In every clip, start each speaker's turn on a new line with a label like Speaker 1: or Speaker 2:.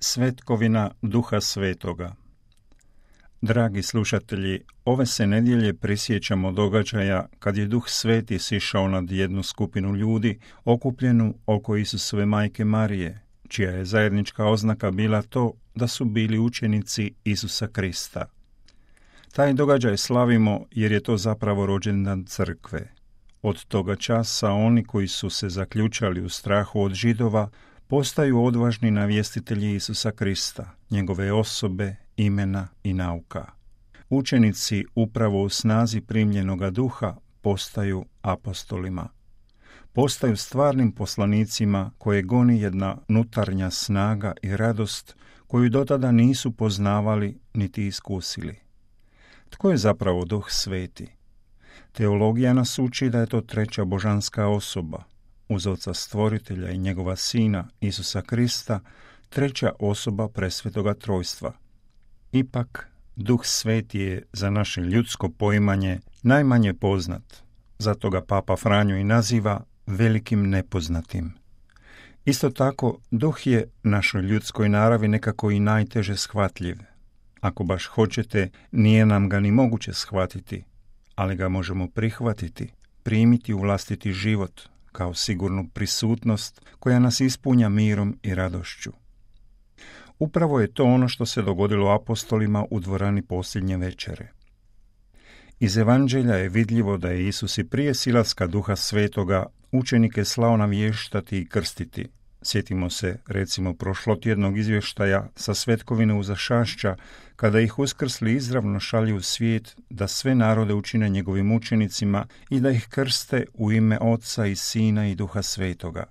Speaker 1: Svetkovina Duha Svetoga. Dragi slušatelji, ove se nedjelje prisjećamo događaja kad je Duh Sveti sišao nad jednu skupinu ljudi okupljenu oko Isusove majke Marije, čija je zajednička oznaka bila to da su bili učenici Isusa Krista. Taj događaj slavimo jer je to zapravo rođendan crkve. Od toga časa oni koji su se zaključali u strahu od Židova postaju odvažni navjestitelji Isusa Krista, njegove osobe, imena i nauka. Učenici upravo u snazi primljenoga duha postaju apostolima. Postaju stvarnim poslanicima koje goni jedna unutarnja snaga i radost koju dotada nisu poznavali niti iskusili. Tko je zapravo Duh Sveti? Teologija nas uči da je to treća božanska osoba, uz Oca Stvoritelja i njegova Sina, Isusa Krista, treća osoba presvetoga trojstva. Ipak, Duh Sveti je za naše ljudsko poimanje najmanje poznat, zato ga Papa Franjo i naziva velikim nepoznatim. Isto tako, Duh je našoj ljudskoj naravi nekako i najteže shvatljiv. Ako baš hoćete, nije nam ga ni moguće shvatiti, ali ga možemo prihvatiti, primiti u vlastiti život, kao sigurnu prisutnost koja nas ispunja mirom i radošću. Upravo je to ono što se dogodilo apostolima u dvorani posljednje večere. Iz evanđelja je vidljivo da je Isus i prije silaska Duha Svetoga učenike slao navještati i krstiti. Sjetimo se, recimo, prošlotjednog izvještaja sa Svetkovine u Zašašća, kada ih uskrsli izravno šalju u svijet da sve narode učine njegovim učenicima i da ih krste u ime Oca i Sina i Duha Svetoga.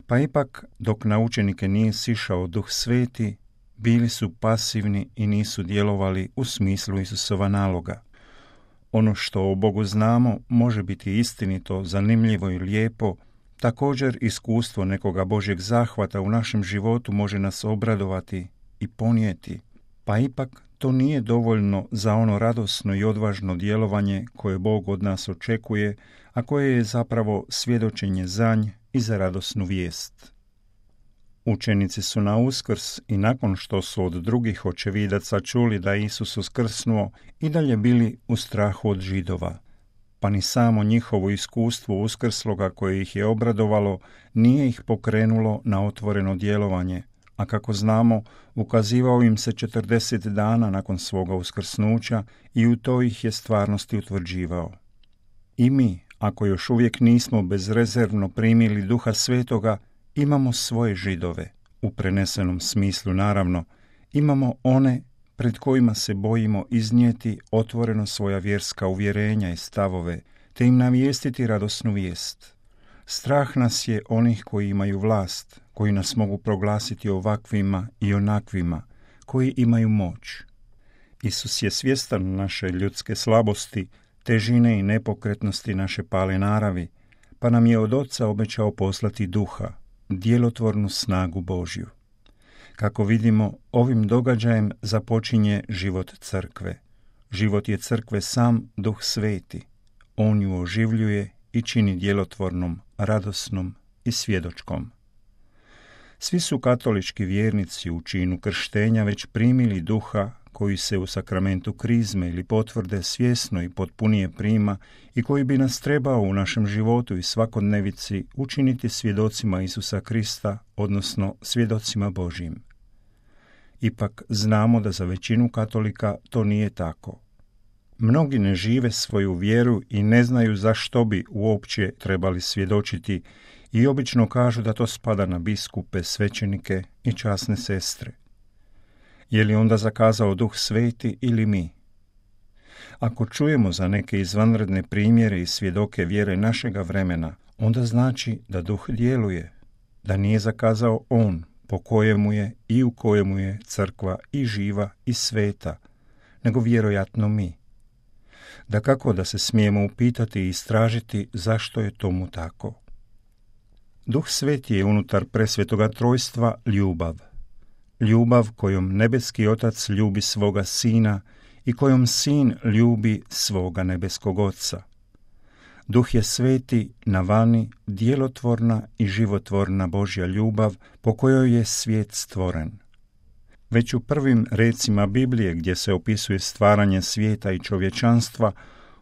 Speaker 1: Pa ipak, dok na učenike nije sišao Duh Sveti, bili su pasivni i nisu djelovali u smislu Isusova naloga. Ono što o Bogu znamo može biti istinito, zanimljivo i lijepo. Također, iskustvo nekoga Božjeg zahvata u našem životu može nas obradovati i ponijeti, pa ipak to nije dovoljno za ono radosno i odvažno djelovanje koje Bog od nas očekuje, a koje je zapravo svjedočenje za nj i za radosnu vijest. Učenici su na Uskrs i nakon što su od drugih očevidaca čuli da Isus uskrsnuo i dalje bili u strahu od Židova. Pa ni samo njihovo iskustvo uskrsloga koje ih je obradovalo nije ih pokrenulo na otvoreno djelovanje, a kako znamo, ukazivao im se 40 dana nakon svoga uskrsnuća i u to ih je stvarnosti utvrđivao. I mi, ako još uvijek nismo bezrezervno primili Duha Svetoga, imamo svoje Židove, u prenesenom smislu naravno, imamo one pred kojima se bojimo iznijeti otvoreno svoja vjerska uvjerenja i stavove, te im navijestiti radosnu vijest. Strah nas je onih koji imaju vlast, koji nas mogu proglasiti ovakvima i onakvima, koji imaju moć. Isus je svjestan naše ljudske slabosti, težine i nepokretnosti naše pale naravi, pa nam je od Oca obećao poslati Duha, djelotvornu snagu Božju. Kako vidimo, ovim događajem započinje život crkve. Život je crkve sam Duh Sveti. On ju oživljuje i čini djelotvornom, radosnom i svjedočkom. Svi su katolički vjernici u činu krštenja već primili Duha koji se u sakramentu krizme ili potvrde svjesno i potpunije prima i koji bi nas trebao u našem životu i svakodnevici učiniti svjedocima Isusa Krista, odnosno svjedocima Božjim. Ipak znamo da za većinu katolika to nije tako. Mnogi ne žive svoju vjeru i ne znaju zašto bi uopće trebali svjedočiti i obično kažu da to spada na biskupe, svećenike i časne sestre. Je li onda zakazao Duh Sveti ili mi? Ako čujemo za neke izvanredne primjere i svjedoke vjere našega vremena, onda znači da Duh djeluje, da nije zakazao On, po kojemu je i u kojemu je crkva i živa i sveta, nego vjerojatno mi. Dakako da se smijemo upitati i istražiti zašto je tomu tako. Duh Sveti je unutar presvetoga trojstva ljubav. Ljubav kojom nebeski Otac ljubi svoga Sina i kojom Sin ljubi svoga nebeskog Oca. Duh je sveti, na vani, djelotvorna i životvorna Božja ljubav po kojoj je svijet stvoren. Već u prvim recima Biblije, gdje se opisuje stvaranje svijeta i čovječanstva,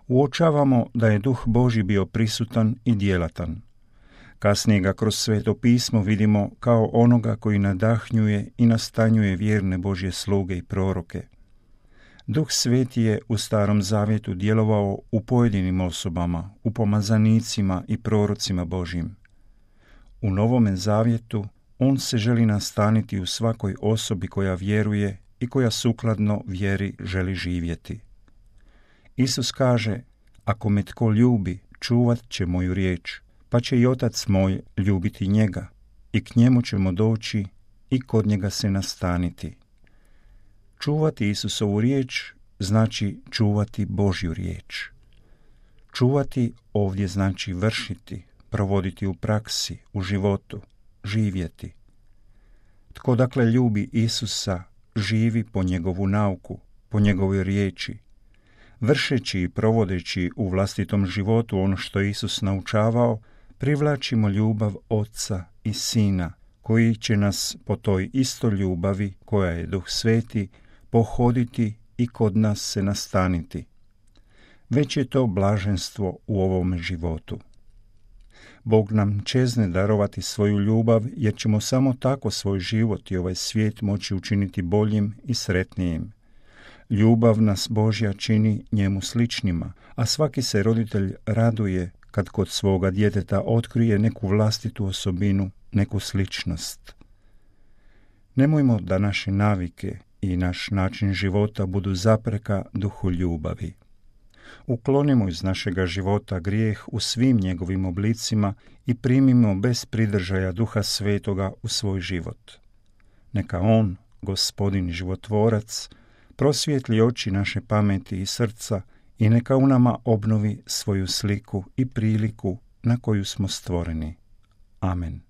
Speaker 1: uočavamo da je Duh Božji bio prisutan i djelatan. Kasnije ga kroz Sveto pismo vidimo kao onoga koji nadahnjuje i nastanjuje vjerne Božje sluge i proroke. Duh Sveti je u Starom Zavjetu djelovao u pojedinim osobama, u pomazanicima i prorocima Božjim. U Novome Zavjetu on se želi nastaniti u svakoj osobi koja vjeruje i koja sukladno vjeri želi živjeti. Isus kaže: ako me tko ljubi, čuvat će moju riječ, pa će i Otac moj ljubiti njega, i k njemu ćemo doći i kod njega se nastaniti. Čuvati Isusovu riječ znači čuvati Božju riječ. Čuvati ovdje znači vršiti, provoditi u praksi, u životu, živjeti. Tko dakle ljubi Isusa, živi po njegovu nauku, po njegovoj riječi, vršeći i provodeći u vlastitom životu ono što je Isus naučavao, privlačimo ljubav Oca i Sina, koji će nas po toj isto ljubavi, koja je Duh Sveti, pohoditi i kod nas se nastaniti. Već je to blaženstvo u ovom životu. Bog nam čezne darovati svoju ljubav, jer ćemo samo tako svoj život i ovaj svijet moći učiniti boljim i sretnijim. Ljubav nas Božja čini njemu sličnima, a svaki se roditelj raduje kad kod svoga djeteta otkrije neku vlastitu osobinu, neku sličnost. Nemojmo da naše navike i naš način života budu zapreka duhu ljubavi. Uklonimo iz našega života grijeh u svim njegovim oblicima i primimo bez pridržaja Duha Svetoga u svoj život. Neka on, Gospodin životvorac, prosvijetli oči naše pameti i srca i neka u nama obnovi svoju sliku i priliku na koju smo stvoreni. Amen.